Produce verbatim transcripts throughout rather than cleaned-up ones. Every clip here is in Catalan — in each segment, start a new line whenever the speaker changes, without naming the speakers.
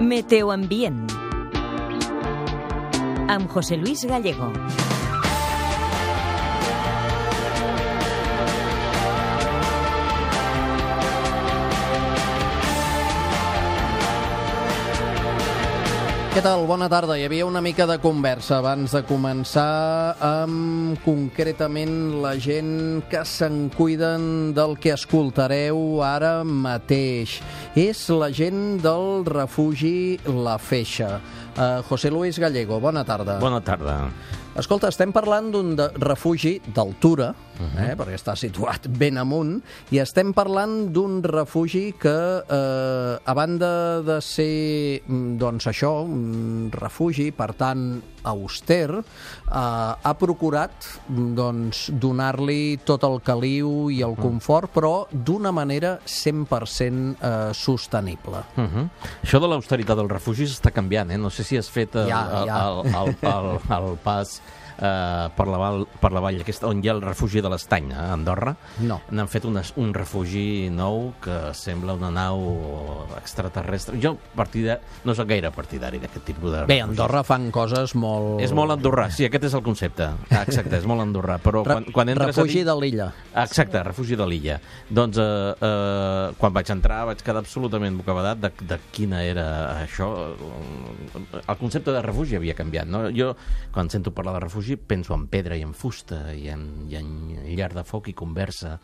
Meteoambient amb José Luis Gallego.
Què tal? Bona tarda. Hi havia una mica de conversa abans de començar amb concretament la gent que se'n cuiden del que escoltareu ara mateix. És la gent del refugi La Feixa. Uh, José Luis Gallego, bona tarda.
Bona tarda.
Escolta, estem parlant d'un de refugi d'altura, eh, perquè està situat ben amunt, i estem parlant d'un refugi que, eh, a banda de ser, doncs això, un refugi, per tant, auster, eh, ha procurat doncs, donar-li tot el caliu i el confort, però d'una manera cent per cent eh, sostenible.
Uh -huh. Això de l'austeritat dels refugis està canviant, eh? No sé si has fet el,
ja, ja.
el, el, el, el, el pas Uh, per, la val, per la vall aquesta, on hi ha el refugi de l'Estany, a Andorra.
No.
N'han fet una, un refugi nou que sembla una nau extraterrestre. Jo partida, no soc gaire partidari d'aquest tipus de refugis.
Bé, a Andorra fan coses molt...
És molt andorrà, sí, aquest és el concepte. Ah, exacte, és molt andorrà. Però quan, quan entres
refugi
a dir...
de l'illa.
Exacte, refugi de l'illa. Doncs uh, uh, quan vaig entrar vaig quedar absolutament bocabadat de, de quina era això. El concepte de refugi havia canviat, no? Jo, quan sento parlar de refugi, penso en pedra i en fusta i en, i en llar de foc i conversa.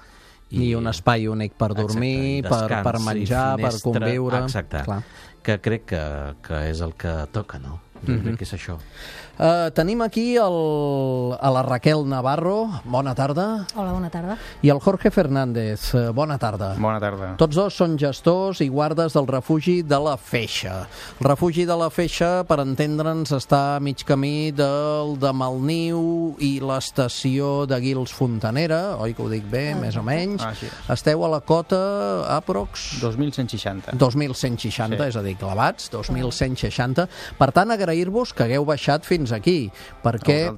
I, I un espai únic per dormir, exacte, per, per menjar, per conviure.
Exacte,
clar.
Que crec que, que és el que toca, no? Jo mm-hmm. crec que és això.
Uh, tenim aquí el, a la Raquel Navarro. Bona tarda.
Hola, bona tarda.
I el Jorge Fernández. Uh, bona tarda.
Bona tarda.
Tots dos són gestors i guardes del refugi de La Feixa. El refugi de La Feixa, per entendre'ns, està a mig camí del de Malniu i l'estació de Guils Fontanera, oi que ho dic bé, ah, més o menys.
Ah, sí.
Esteu a la cota, aprox...
dos mil cent seixanta.
dos mil cent seixanta, sí. És a dir, clavats, dos mil cent seixanta. Per tant, agrair-vos que hagueu baixat fins aquí, perquè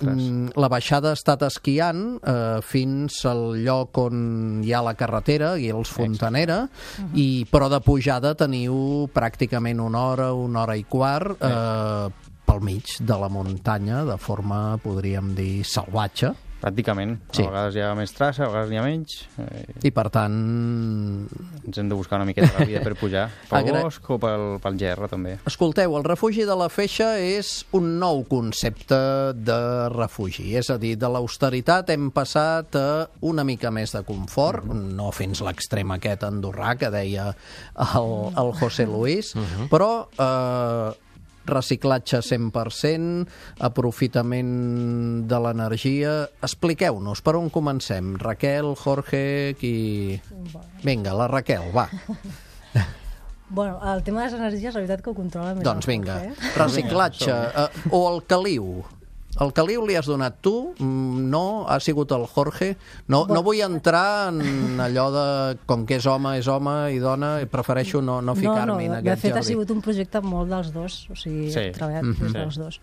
la baixada ha estat esquiant eh, fins al lloc on hi ha la carretera, Guils Fontanera, uh-huh. i, però de pujada teniu pràcticament una hora, una hora i quart eh, pel mig de la muntanya, de forma, podríem dir, salvatge.
Pràcticament.
Sí.
A vegades hi ha més traça, a vegades n'hi ha menys. Eh,
I per tant...
Ens hem de buscar una miqueta la vida per pujar. Pel Agra... bosc o pel, pel gerra, també.
Escolteu, el refugi de La Feixa és un nou concepte de refugi. És a dir, de l'austeritat hem passat a una mica més de confort, uh-huh. no fins l'extrem aquest andorrà que deia el, el José Luis, uh-huh. però... Eh, reciclatge cent per cent, aprofitament de l'energia. Expliqueu-nos, per on comencem? Raquel, Jorge, qui... Vinga, la Raquel, va.
Bueno, el tema de les energies, la veritat que ho controla més.
Doncs vinga, reciclatge, eh, o el caliu. El caliu li has donat tu? No? Ha sigut el Jorge? No, no vull entrar en allò de com que és home, és home i dona, prefereixo no, no ficar-m'hi
no, no,
en aquest
de fet
jardí.
Ha sigut un projecte molt dels dos, o sigui,
sí.
he treballat
Mm-hmm.
des dels dos.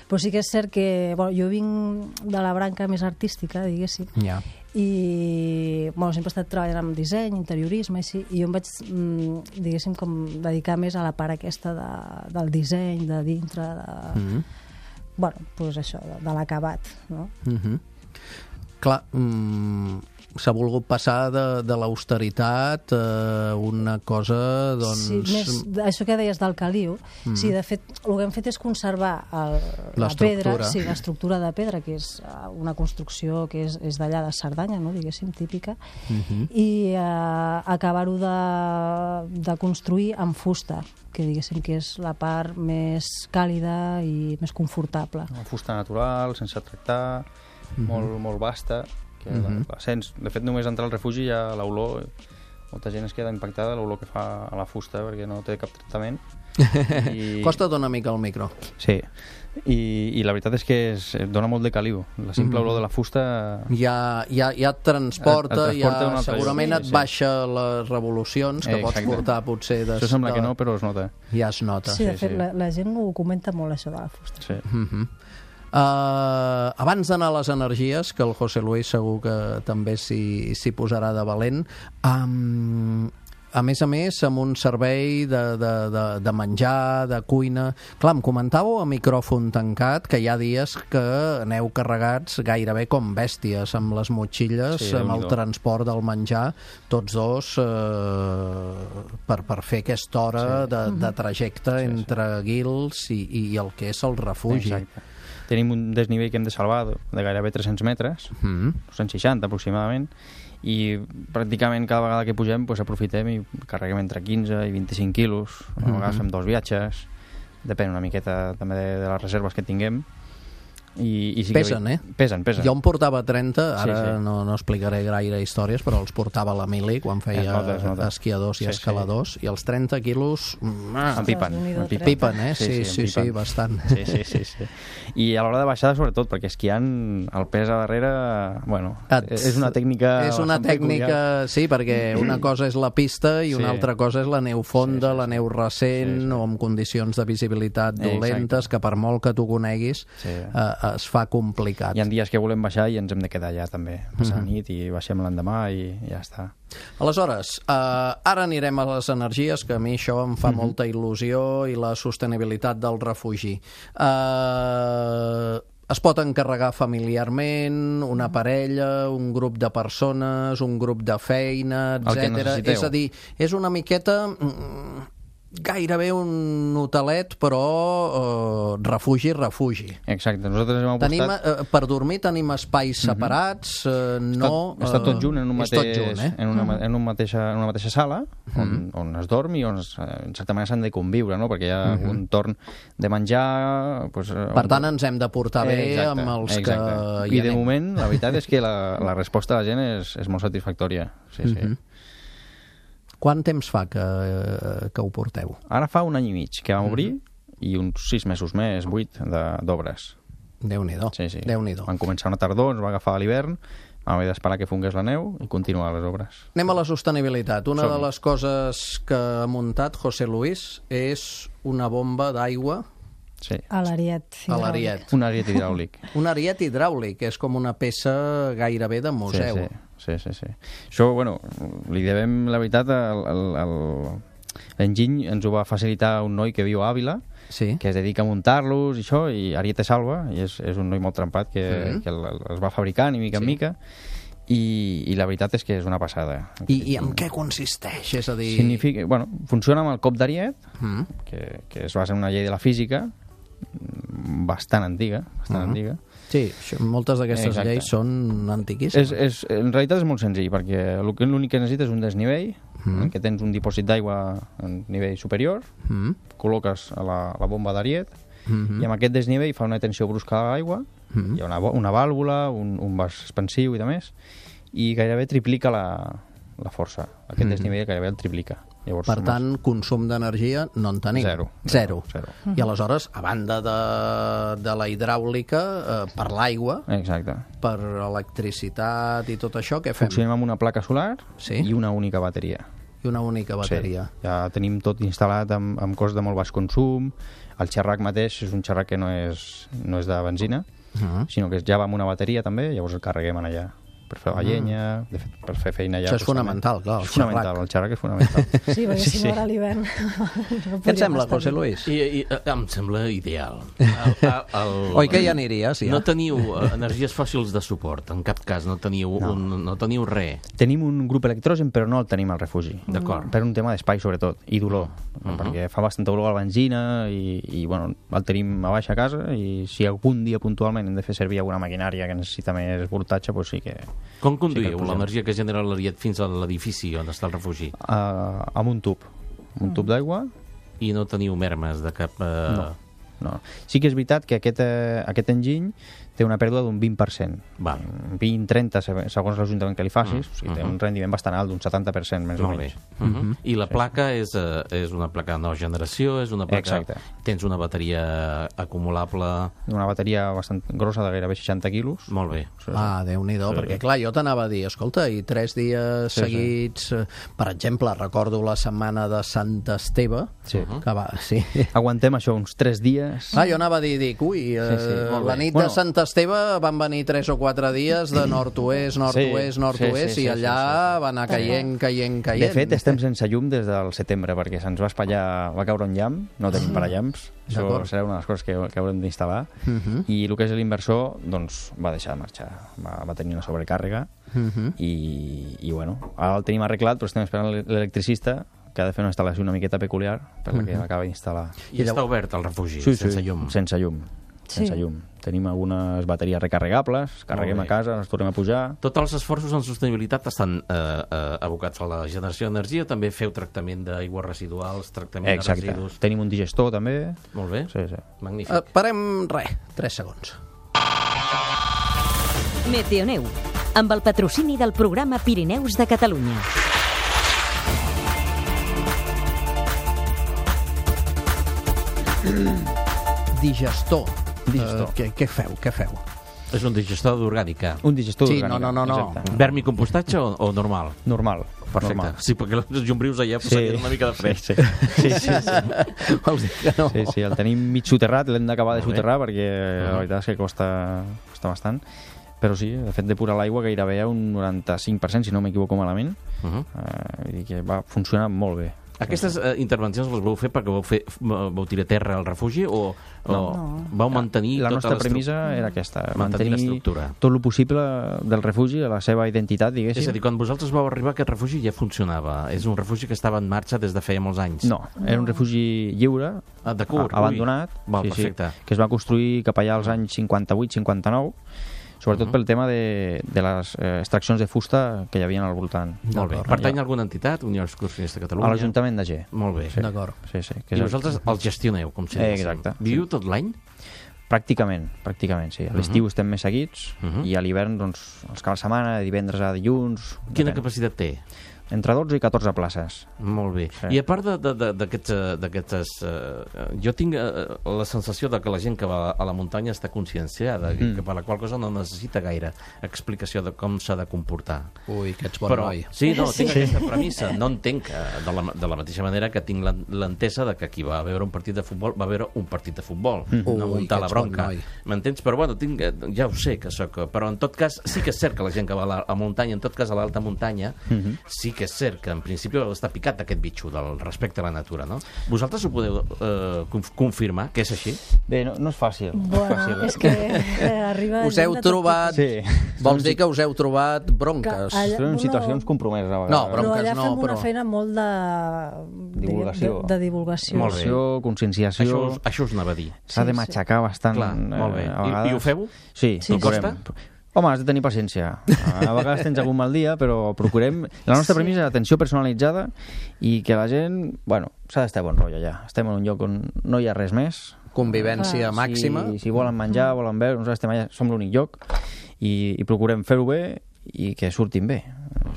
Però sí que és cert que bueno, jo vinc de la branca més artística, diguéssim,
Ja.
i bueno, sempre he estat treballant amb disseny, interiorisme, així, i jo em vaig, diguéssim, com dedicar més a la part aquesta de, del disseny, de dintre, de... Mm-hmm. Bueno, doncs això, de, de l'acabat, no?
Mm-hmm. Clar, mm, s'ha volgut passar de, de l'austeritat a una cosa, doncs...
Sí, més, això que deies del caliu, mm. sí, de fet, el que hem fet és conservar el, la pedra, sí, l'estructura de pedra, que és una construcció que és, és d'allà de Cerdanya, no?, diguéssim, típica, mm-hmm. i eh, acabar-ho de, de construir amb fusta, que diguéssim que és la part més càlida i més confortable.
Una fusta natural, sense tractar, mm-hmm. molt, molt vasta, que mm-hmm. la, la sents. De fet, només entrar al refugi hi ha l'olor. Molta gent es queda impactada l'olor que fa a la fusta perquè no té cap tractament.
I... Costa't una mica el micro.
Sí. I, i la veritat és que es, dona molt de caliu. La simple mm. olor de la fusta...
Ja, ja, ja et transporta,
et, et transporta
ja, segurament et
sí,
baixa sí. les revolucions que eh, pots portar potser... Des...
Això sembla que no, però es nota.
Ja es nota.
Sí, de fet,
sí, sí.
La, la gent ho comenta molt, això de la fusta.
Sí.
Mm-hmm. Uh, abans d'anar a les energies, que el José Luis segur que també s'hi posarà de valent, um, a més a més, amb un servei de, de, de, de menjar, de cuina... Clar, em comentàveu a micròfon tancat que hi ha dies que aneu carregats gairebé com bèsties, amb les motxilles, sí, amb el transport del menjar, tots dos eh, per, per fer aquesta hora sí. de, de trajecte sí, sí. entre Guils i, i el que és el refugi.
Exacte. Tenim un desnivell que hem de salvar de gairebé tres-cents metres, mm. dos-cents seixanta aproximadament, i pràcticament cada vegada que pugem pues, aprofitem i carreguem entre quinze i vint-i-cinc quilos, a vegades fem dos viatges, depèn una miqueta també de, de les reserves que tinguem. I, i sí
pesen,
que...
eh?
Pesen, pesen.
Jo em portava trenta, ara
sí, sí.
No, no explicaré gaire històries, però els portava la Mili quan feia nota, nota. esquiadors i sí, escaladors, sí. I els trenta quilos...
Ah, en pipen, en pipen.
Pipen, eh? Sí, sí, sí, sí, sí bastant.
Sí, sí, sí, sí. I a l'hora de baixada, sobretot, perquè esquiant el pes a darrere, bueno, Et... és una tècnica...
És una tècnica, peculiar. Sí, perquè una cosa és la pista i una sí. altra cosa és la neu fonda, sí, sí, la neu recent, sí, sí. o amb condicions de visibilitat dolentes, Exacte. que per molt que tu coneguis, sí. eh, es fa complicat.
Hi ha dies que volem baixar i ens hem de quedar allà també, passar mm -hmm. nit i baixem l'endemà i ja està.
Aleshores, eh, ara anirem a les energies, que a mi això em fa mm -hmm. molta il·lusió, i la sostenibilitat del refugi. Eh, es pot encarregar familiarment, una parella, un grup de persones, un grup de feina, etcètera. És a dir, és una miqueta... Mm, gairebé un hotelet, però eh, refugi, refugi.
Exacte, nosaltres hem apostat...
Tenim, eh, per dormir tenim espais separats, eh, no...
Està, està tot junt en, un mateix,
junt, eh?
en, una, en, un mateixa, en una mateixa sala, on, on es dorm i on, es, en certa manera, s'han de conviure, no? Perquè hi ha uh-huh. un torn de menjar... Pues,
per tant, ens hem de portar bé exacte, amb els
exacte. que... I de moment, la veritat és que la, la resposta de la gent és, és molt satisfactòria. Sí, uh-huh. sí.
Quant temps fa que, que ho porteu?
Ara fa un any i mig que vam obrir mm-hmm. i uns sis mesos més, vuit, d'obres.
Déu-n'hi-do.
Sí, sí.
Déu-n'hi-do.
Van començar una tardor, ens va agafar a l'hivern, vam haver d'esperar que fongués la neu i continuar les obres.
Anem a la sostenibilitat. Una Som. de les coses que ha muntat José Luis és una bomba d'aigua
sí.
a l'ariet
hidràulic.
Un ariet hidràulic.
Un ariet hidràulic, és com una peça gairebé de museu.
Sí, sí. Sí, sí, sí. Això, bueno, li devem, la veritat, l'enginy ens ho va facilitar un noi que viu a Àvila, sí. que es dedica a muntar-los i això, i Ariete Salva, i és, és un noi molt trempat que, mm-hmm. que els va fabricant i mica en sí. mica, i, i la veritat és que és una passada.
I, i en què consisteix? És a dir...
Significa, bueno, funciona amb el cop d'ariet, mm. que, que es basa en una llei de la física, bastant antiga, bastant mm. antiga,
Sí, moltes d'aquestes lleis són antiquíssimes.
És, és, en realitat és molt senzill, perquè l'únic que necessites és un desnivell, mm. en què tens un dipòsit d'aigua en nivell superior, mm. col·loques a la, la bomba d'ariet, mm-hmm. i amb aquest desnivell fa una tensió brusca a l'aigua, mm. hi ha una, una vàlvula, un, un vas expansiu i de més, i gairebé triplica la, la força. Aquest mm. desnivell gairebé el triplica. Llavors,
per tant, més... consum d'energia no en tenim.
Zero.
Zero.
Zero.
Mm. I aleshores, a banda de, de la hidràulica, eh, per l'aigua,
exacte.
Per electricitat i tot això, què fem?
Funcionem amb una placa solar
sí?
i una única bateria.
I una única bateria.
Sí. Ja tenim tot instal·lat amb, amb cost de molt baix consum. El xerrac mateix és un xerrac que no és, no és de benzina, uh-huh. sinó que ja va amb una bateria també, llavors el carreguem allà. Per fer la llenya, de fet, per fer feina allà.
Això és fonamental, clar, el
és fonamental, el xerrac és fonamental.
Sí, perquè si no ara a l'hivern...
No què et sembla, José Luis?
I, i, em sembla ideal. El, el,
Oi que hi aniries, ja?
No teniu energies fòssils de suport, en cap cas, no teniu, no. Un, no teniu res.
Tenim un grup electrogen, però no el tenim al refugi.
D'acord.
Per un tema d'espai, sobretot, i dolor. Uh-huh. Perquè fa bastanta olor a la benzina i, i bueno, el tenim a baixa casa i si algun dia puntualment hem de fer servir alguna maquinària que necessita més voltatge, doncs sí que...
Com conduïu sí l'energia que genera l'ariet fins a l'edifici on està el refugi?
Uh, amb un tub. Un tub d'aigua.
I no teniu mermes de cap... Uh...
No, no. Sí que és veritat que aquest, uh, aquest enginy té una pèrdua d'un vint per cent.
Val.
vint trenta, segons l'Ajuntament que li facis. Mm. O sigui, té un rendiment bastant alt, d'un setanta per cent, més
Molt
o menys.
Uh -huh. Mm-hmm. I la placa sí. és, uh, és una placa de nova generació? És una placa...
Exacte.
Tens una bateria acumulable?
Una bateria bastant grossa, de gairebé seixanta quilos.
Molt bé.
Ah, Déu-n'hi-do, sí. Perquè clar, jo t'anava a dir, escolta, i tres dies sí, seguits... Sí. Per exemple, recordo la setmana de Sant Esteve,
sí.
que va... Sí.
Aguantem això uns tres dies.
Ah, jo anava a dir, dic, ui, sí, sí, la nit bueno, de Sant Esteve l'Esteve van venir tres o quatre dies de nord-oest, nord-oest,
Sí,
nord-oest,
sí, sí,
i allà
sí, sí, sí.
va anar caient, caient, caient.
De fet, estem sense llum des del setembre, perquè se'ns va espatllar, va caure un llamp, no tenim parallamps, això
D'acord.
serà una de les coses que, que haurem d'instal·lar,
Uh -huh.
i el que és l'inversor, doncs, va deixar de marxar, va, va tenir una sobrecàrrega,
Uh -huh.
i, i bueno, ara el tenim arreglat, però estem esperant l'electricista, que ha de fer una instal·lació una miqueta peculiar, per la que acaba d'instal·lar.
I està obert el refugi,
Sí,
sense
sí,
llum.
sense llum.
Sí.
Sense llum. Tenim algunes bateries recarregables, carreguem
bé.
a casa, ens tornem a pujar.
Tots els esforços en sostenibilitat estan eh, eh, abocats a la generació d'energia, també feu tractament d'aigües residuals, tractament
Exacte.
de residus...
Tenim un digestor, també.
Molt bé,
Sí, sí.
magnífic.
Uh, parem, res, tres segons.
Meteoneu, amb el patrocini del programa Pirineus de Catalunya.
Digestor.
Digestor.
Uh, què, què feu, què feu?
És un digestor d'orgànica.
Un digestor
Sí,
orgànica.
no, no, no, no.
Exacte.
Vermicompostatge o, o normal?
Normal.
Perfecte.
Normal.
Sí, perquè els llombrius allà
Sí.
posarien una mica de fred.
Sí, sí, sí, sí, sí.
Vols dir que no?
sí, sí, el tenim mig soterrat, l'hem d'acabar de
Molt bé.
soterrar perquè la veritat és que costa, costa bastant. Però sí, de fet depurar l'aigua gairebé a un noranta-cinc per cent, si no m'equivoco malament.
Uh -huh.
Uh, vull dir que va funcionar molt bé.
Aquestes eh, intervencions les vau fer perquè vau, fer, vau tirar terra al refugi o, o
No.
vau mantenir
La
tota
nostra
l'estru-
premissa era aquesta,
mantenir
mantenir
l'estructura.
tot el possible del refugi, a la seva identitat, diguéssim.
És a dir, quan vosaltres vau arribar aquest refugi ja funcionava. És un refugi que estava en marxa des de feia molts anys.
No, era un refugi lliure,
Ah, de curt,
a- abandonat,
ui. Val,
sí, sí,
perfecte.
que es va construir cap allà als anys cinquanta-vuit cinquanta-nou, sobretot
Mhm.
pel tema de, de les eh, extraccions de fusta que hi havia al voltant.
Molt bé.
D'acord.
Pertany a alguna entitat? Unió Excursionista de Catalunya?
A l'Ajuntament de G.
Molt bé.
Sí.
D'acord.
Sí, sí. Que
I
és el-
vosaltres els gestioneu, com si
Eh,
diguéssim.
exacte.
Viviu tot l'any?
Pràcticament, pràcticament, sí. A l'estiu estem més seguits
Mhm.
i a l'hivern, doncs, els caps de setmana, de divendres a dilluns...
Quina
depèn.
capacitat té?
Entre dotze i catorze places.
Molt bé.
Sí.
I a part de- de- de- d'aquests... eh, d'aquestes, eh, jo tinc eh, la sensació de que la gent que va a la muntanya està conscienciada, mm. que per la qual cosa no necessita gaire explicació de com s'ha de comportar.
Ui, que ets bon
Però,
noi.
sí, no, tinc
Sí.
aquesta premissa. No entenc, eh, de la, de la mateixa manera que tinc l'en- l'entesa de que qui va a veure un partit de futbol va a veure un partit de futbol, mm. no
Ui,
muntar
que
la
ets bon
bronca.
noi.
M'entens? Però bueno, tinc, eh, ja ho sé que sóc... Però en tot cas, sí que és cert que la gent que va a la a muntanya, en tot cas a l'alta muntanya,
Mhm.
sí que és cert que en principi està picat d'aquest bitxo del respecte a la natura, no? Vosaltres ho podeu eh, conf confirmar, que és així?
Bé, no, no és fàcil. no és
Bueno,
fàcil.
és que eh, arriba...
Us heu
gent de tot
trobat...
Sí.
Vols dir que us heu trobat bronques?
Que allà-
Són
no,
situacions compromeses a vegades.
No,
Però
bronques
allà
no,
fem una
però-
feina molt de...
Divulgació.
De, de divulgació.
Molt bé.
Divulgació, conscienciació...
Això, us- això us anava a dir.
S'ha de
Sí, sí.
matxacar bastant.
Clar, molt bé.
eh, a
I,
vegades.
I ho feu?
Sí,
Sí,
procurem.
sí.
Home, has de tenir paciència. A vegades tens algun mal dia, però procurem... La nostra
Sí.
premissa és atenció personalitzada i que la gent... Bueno, s'ha d'estar bon rotllo allà. Estem en un lloc on no hi ha res més.
Convivència
Ah,
màxima.
Si, si volen menjar, volen beure, nosaltres estem allà, som l'únic lloc i, i procurem fer-ho bé i que surtin bé.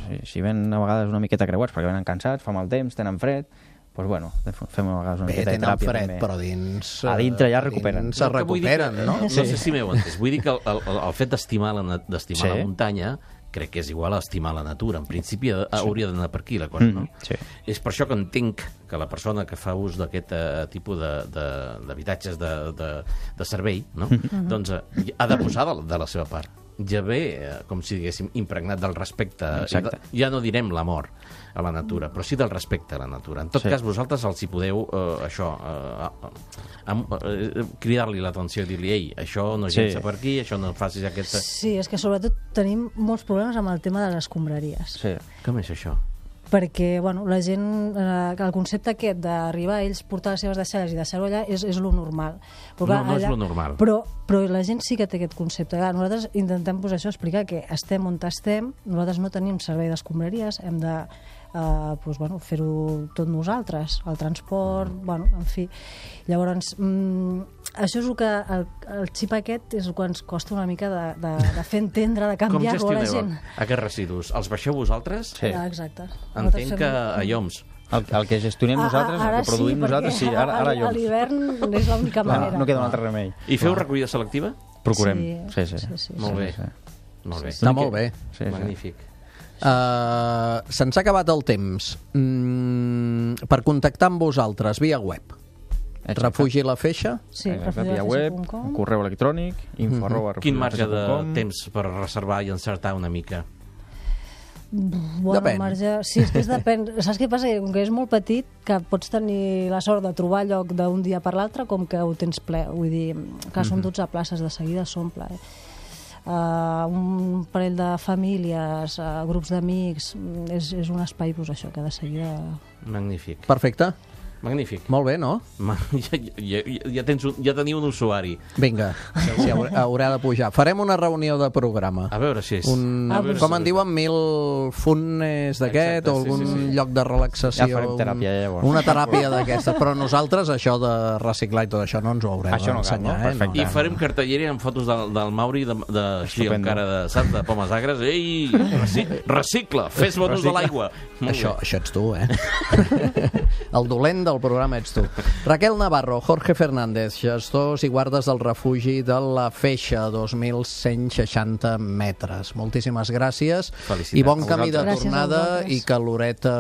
Si, si ven a vegades una miqueta creuats perquè venen cansats, fa mal temps, tenen fred, doncs bueno, fem a vegades una
Bé,
miqueta de
tenen
teràpia
fred,
també.
però dins...
A dintre ja
eh,
recuperen.
dins Se
El que vull dir
recuperen,
que-
no?
No sé si m'heu entès. Vull dir que el, el, el fet d'estimar la, na- d'estimar
Sí.
la muntanya crec que és igual a estimar la natura. En principi sí. hauria d'anar per aquí la cosa, no?
Mm, sí.
És per això que entenc que la persona que fa ús d'aquest eh, tipus de- de- d'habitatges de, de, de, de servei, no? doncs eh, ha de posar de, de la seva part. Ja ve, eh, com si diguéssim, impregnat del respecte.
Exacte.
Ja no direm l'amor a la natura, però sí del respecte a la natura. En tot
Sí.
cas, vosaltres els hi podeu, eh, això, eh, eh, eh, cridar-li l'atenció i dir-li, ei, això no
Sí.
llença per aquí, això no facis aquesta...
Sí, és que sobretot tenim molts problemes amb el tema de les escombraries.
Sí.
Com és això?
Perquè bueno, la gent, eh, el concepte aquest d'arribar a ells, portar les seves deixalles i deixar-ho allà és, és lo normal. Però,
No, no és lo normal.
Però, però la gent sí que té aquest concepte. Clar, nosaltres intentem posar això, explicar que estem on estem, nosaltres no tenim servei d'escombraries, hem de eh, doncs, bueno, fer-ho tot nosaltres, el transport, bueno, en fi. Llavors, mm, això és el que, el, el xip aquest és el que ens costa una mica de, de, de fer entendre, de
Com
canviar-lo a la gent.
gestioneu aquests residus? Els baixeu vosaltres?
Sí.
Ah, exacte.
Entenc
Nosaltres
que
fem-
a lloms.
El, el que gestionem nosaltres,
Ah, ah,
el que produïm
sí,
nosaltres, sí, ara, ara
a
jo.
l'hivern és l'única
Clar,
manera.
no queda un altre remei.
I feu recollida selectiva?
Procurem. Sí, sí.
sí, sí,
Molt
sí.
bé.
sí.
Molt bé.
Està molt bé.
Sí, sí.
Magnífic.
Uh, Se'ns ha acabat el temps. Mm, per contactar amb vosaltres via web. Refugi La Feixa?
Sí,
refugi la web, correu electrònic, info arroba
Quin marge de temps per reservar i encertar una mica?
Bueno,
depèn.
Marge... Sí, és que és depèn. Saps què passa? Com que és molt petit, que pots tenir la sort de trobar lloc d'un dia per l'altre, com que ho tens ple. Vull dir, que són dotze places, de seguida s'omple. Eh? Uh, un parell de famílies, uh, grups d'amics, és, és un espai, doncs això, que de seguida...
Magnífic.
Perfecte.
Magnífic.
Molt bé, no?
Ja, ja, ja, tens un, ja teniu un usuari.
Vinga, sí, haurà, haurà de pujar. Farem una reunió de programa.
A veure si és...
Un,
a veure
com
si
en diuen, mil funes d'aquest, o algun sí, sí, sí. lloc de relaxació.
Ja farem teràpia, ja, llavors.
Una teràpia d'aquesta. Però nosaltres, això de reciclar i tot això, no ens ho haurem d'ensenyar.
No,
eh?
I farem cartellera amb fotos del, del Mauri, de, de, així, amb cara de, saps, de pomes agres. Ei, reci, recicla, fes bon ús de l'aigua.
Això, això ets tu, eh? El dolent del programa ets tu. Raquel Navarro, Jorge Fernández, gestors i guardes del refugi de La Feixa, dos mil cent seixanta metres. Moltíssimes gràcies.
Felicitats.
I bon camí de
Gràcies
tornada i que l'horeta,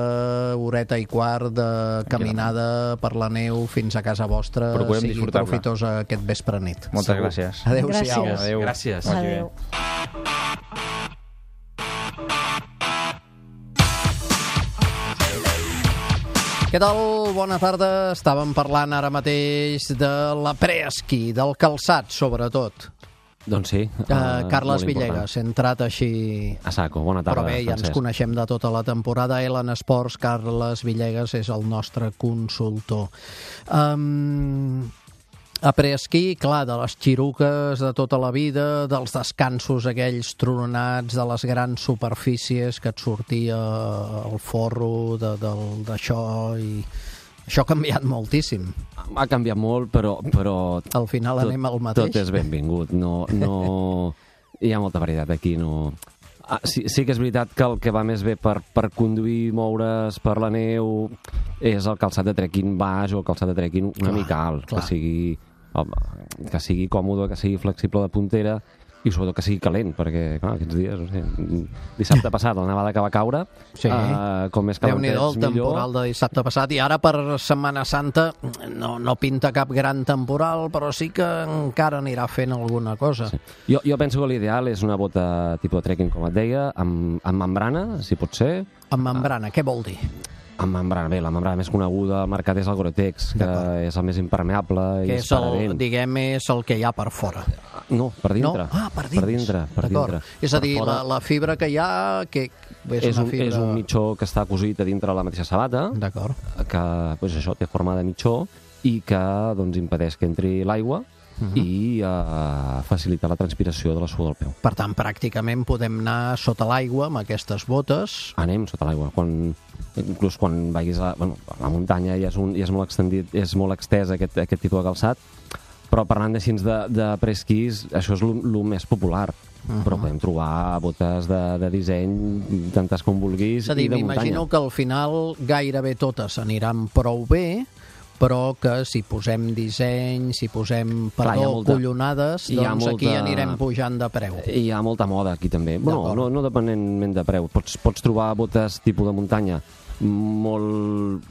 horeta i quart de caminada per la neu fins a casa vostra
Procurem
sigui
disfrutar-la.
profitosa aquest vespre nit.
Moltes
Segur.
gràcies.
Adéu-siau.
Gràcies.
Adéu.
Gràcies.
Vagi bé.
Adéu.
Què tal? Bona tarda. Estàvem parlant ara mateix de la preesquí, del calçat, sobretot.
Doncs sí.
Uh, uh, Carles Villegas, hem entrat així...
A saco, bona tarda,
Però bé, ja ens
Francesc.
coneixem de tota la temporada. Ellen Sports, Carles Villegas és el nostre consultor. Um, a preesquí, clar, de les xiruques de tota la vida, dels descansos aquells tronats, de les grans superfícies que et sortia el forro de, de, d'això i... Això ha canviat moltíssim.
Ha canviat molt, però... però
Al final
tot,
anem al mateix.
Tot és benvingut. No, no... Hi ha molta varietat aquí. No... Ah, sí, sí que és veritat que el que va més bé per, per conduir, moure's per la neu, és el calçat de trekking baix o el calçat de trekking una
Clar,
mica alt.
clar.
Que sigui, que sigui còmode, que sigui flexible de puntera i sobretot que sigui calent, perquè clar, aquests dies, no sé, dissabte passat la nevada que va caure,
Sí.
uh, com més calentets,
Déu-n'hi-do el
millor.
temporal de dissabte passat, i ara per Setmana Santa no, no pinta cap gran temporal, però sí que encara anirà fent alguna cosa.
Sí. Jo, jo penso que l'ideal és una bota tipus de trekking, com et deia, amb, amb membrana, si pot ser.
Amb membrana, què vol dir?
Amb membrana, bé, la membrana més coneguda al mercat és el Gore-Tex, que
D'acord.
és el més impermeable i
Que
és
és el,
paravent.
diguem, és el que hi ha per fora.
No, per dintre.
No? Ah, per dins.
Per dintre, per
D'acord.
dintre.
És a
Per
dir,
fora
la, la fibra que hi ha, que és,
és,
una
un,
fibra...
és un mitjó que està cosit a dintre la mateixa sabata,
D'acord.
que pues, això té forma de mitjó i que doncs, impedeix que entri l'aigua
Mhm.
i uh, facilita la transpiració de la suor del peu.
Per tant, pràcticament podem anar sota l'aigua amb aquestes botes.
Anem sota l'aigua. Quan, inclús quan vagis a, bueno, a la muntanya ja és, un, ja és molt extendit, és molt extès aquest, aquest tipus de calçat, però parlant així de, de preesquís, això és el més popular. Uh -huh. Però podem trobar botes de, de disseny, tantes com vulguis,
És a dir,
i de muntanya.
m'imagino que al final gairebé totes aniran prou bé, però que si posem disseny, si posem,
Clar, hi ha
perdó,
molta-
collonades,
hi ha
doncs aquí
molta-
anirem pujant de preu.
Hi ha molta moda aquí també. Bueno,
D'acord.
no, no dependentment de preu. Pots, pots trobar botes tipus de muntanya molt,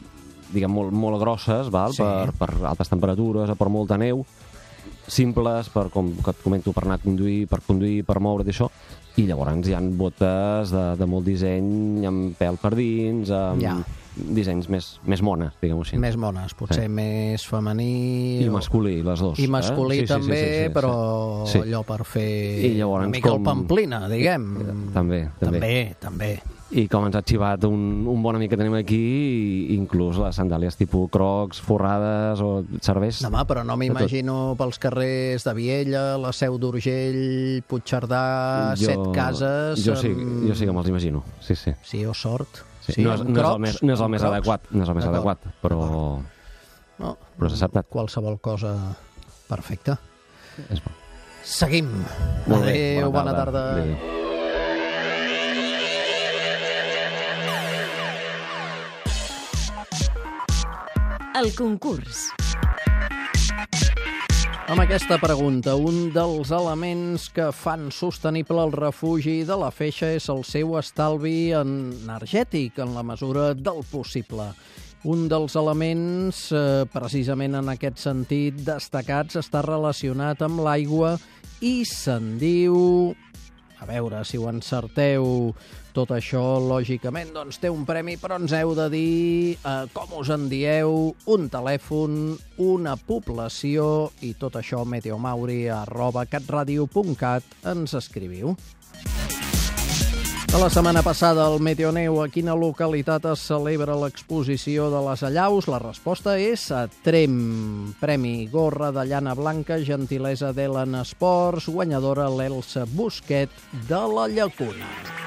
diguem, molt, molt grosses, val?
Sí.
Per, per altes temperatures, per molta neu, simples, per, com que et comento, per anar a conduir, per conduir, per moure't i això, i llavors hi ha botes de, de molt disseny, amb pèl per dins, amb
Ja.
dissenys més, més mones, diguem-ho així.
Més mones, potser
Sí.
més femení...
I
o-
masculí, les dues.
I masculí
eh? Sí, sí,
també,
sí, sí, sí,
però
sí.
allò per fer
I llavors
una mica
com-
el pamplina, diguem.
També, també.
També, també.
I com ens ha xivat un, un bon amic que tenim aquí, i inclús les sandàlies tipus crocs, forrades, o serveix...
No, home, però no m'imagino pels carrers de Viella, la Seu d'Urgell, Puigcerdà,
Jo-
Set Cases...
Jo sí,
amb-
jo sí que me'ls imagino, sí, sí.
Sí, o sort.
sí. no, és,
amb
no, és el
crocs,
més, no és el
amb
més
crocs.
adequat, no és el més
D'acord.
adequat, però,
No,
però s'ha acceptat.
qualsevol cosa perfecta.
És bo.
Seguim.
Molt bé,
Adéu, bona tarda.
Adéu.
El concurs.
Amb aquesta pregunta, un dels elements que fan sostenible el refugi de la Feixa és el seu estalvi energètic en la mesura del possible. Un dels elements, eh, precisament en aquest sentit, destacats, està relacionat amb l'aigua i se'n diu... A veure si ho encerteu. Tot això, lògicament, doncs té un premi, però ens heu de dir eh, com us en dieu, un telèfon, una població i tot això meteomauri arroba catradio punt cat ens escriviu. De la setmana passada, al Meteoneu, a quina localitat es celebra l'exposició de les allaus? La resposta és a Tremp. Premi gorra de llana blanca, gentilesa d'Elen Esports, guanyadora l'Elsa Busquet de la Llacuna.